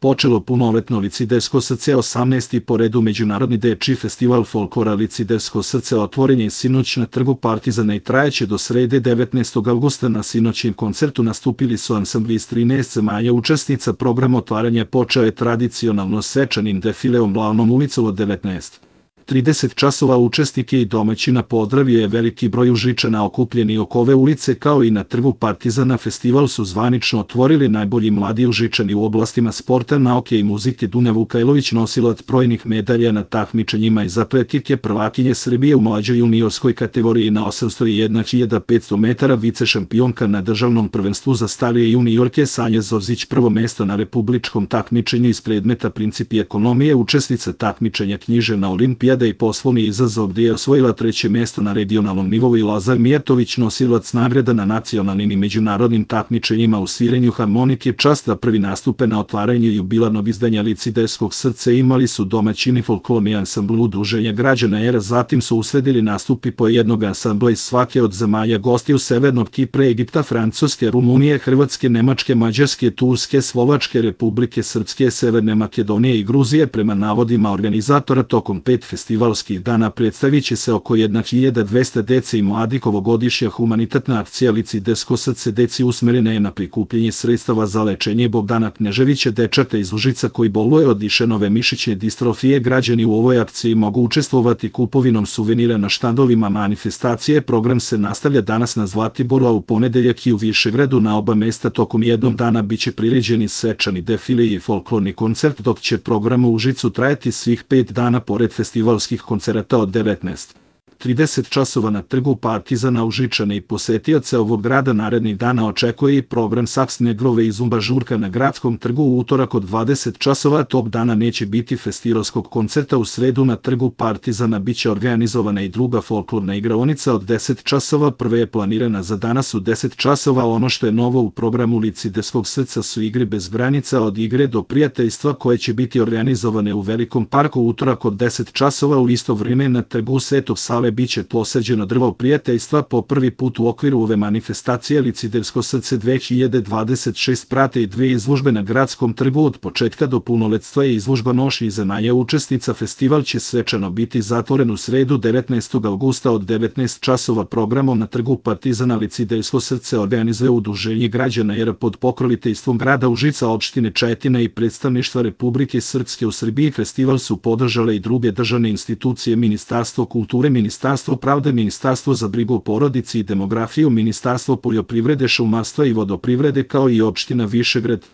počelo punoletno Licidejsko srce 18. po redu Međunarodni dečiji festival folklora Licidejsko srce otvoren je sinoć na trgu Partizana i trajeće do srede 19. avgusta. Na sinoćnjem koncertu nastupili su ansambli iz 13 zemalja učesnica. Program otvaranja počeo je tradicionalno svečanim defileom Glavnom ulicom od 19:30 časova. Učesnike i domaćina pozdravio je veliki broj Užičana okupljeni oko ove ulice, kao i na trgu Partizana. Festival su zvanično otvorili najbolji mladi Užičani u oblastima sporta, nauke i muzike. Dunja Vukajlović, nosilac brojnih medalja na takmičenjima iz atletike, prvakinje Srbije u mlađoj juniorskoj kategoriji na 801.500 metara, vice šampionka na državnom prvenstvu za starije juniorke Sanja Zorzić, prvo mesto na republičkom takmičenju iz predmeta principi ekonomije, učesnica takmičenja književna olimpijada i poslovni izazov, gdje je osvojila treće mesto na regionalnom nivou, i Lazar Mijatović, nosilac nagrada na nacionalnim i međunarodnim takmičenjima u svirenju harmonike. Čast da prvi nastupe na otvaranju jubilarnog izdanja Licidejskog srce imali su domaćini folklorni ansambl Udruženja građana ERA, zatim su usledili nastupi po jednog ansambla iz svake od zemalja gostiju: Severnog Kipra, Egipta, Francuske, Rumunije, Hrvatske, Nemačke, Mađarske, Turske, Slovačke, Republike Srpske, Severne Makedonije i Gruzije. Prema navodima organizatora, tokom 5 festivalskih dana predstavit će se oko 1200 dece i mladih. Ovogodišnja humanitarna akcija Licidejsko srce deci usmerena je na prikupljanje sredstava za lečenje Bogdana Kneževića, dečaka iz Užica koji boluje od Dišenove mišićne distrofije. Građani u ovoj akciji mogu učestvovati kupovinom suvenira na štandovima manifestacije. Program se nastavlja danas na Zlatiboru, a u ponedeljak i u Višegradu. Na oba mesta tokom jednog dana biće priređeni svečani defile i folklorni koncert, dok će program u Užicu trajati svih 5 dana. Pored festivalskih koncerata od 19:30 časova na trgu Partizana, Užičane i posetioce ovog grada narednih dana očekuje i program Saksne grove i Zumba žurka na gradskom trgu. U utorak od 20 časova tog dana neće biti festivalskog koncerta. U sredu na trgu Partizana biće organizovana i druga folklorna igraonica od 10 časova. Prva je planirana za danas u 10 časova. Ono što je novo u programu Licidejskog srca su igre bez granica, od igre do prijateljstva, koje će biti organizovane u Velikom parku. U utorak od 10 časova u isto vrijeme na trgu Svetog Save biće posađeno drvo prijateljstva. Po prvi put u okviru ove manifestacije Licidejsko srce 2026 prate i 2 izložbe na gradskom trgu. Od početka do punoletstva je izložba nošnji zemalja učesnica. Festival će svečano biti zatvoren u sredu 19. avgusta od 19 časova. Programom na trgu Partizana Licidejsko srce organizuje Udruženje građana ERA pod pokroviteljstvom grada Užica, opštine Čajetina i predstavništva Republike Srpske u Srbiji. Festival su podržale i druge državne institucije: Ministarstvo kulture, Ministarstvo pravde, Ministarstvo za brigu o porodici i demografiju, Ministarstvo poljoprivrede, šumarstva i vodoprivrede, kao i opština Višegrad.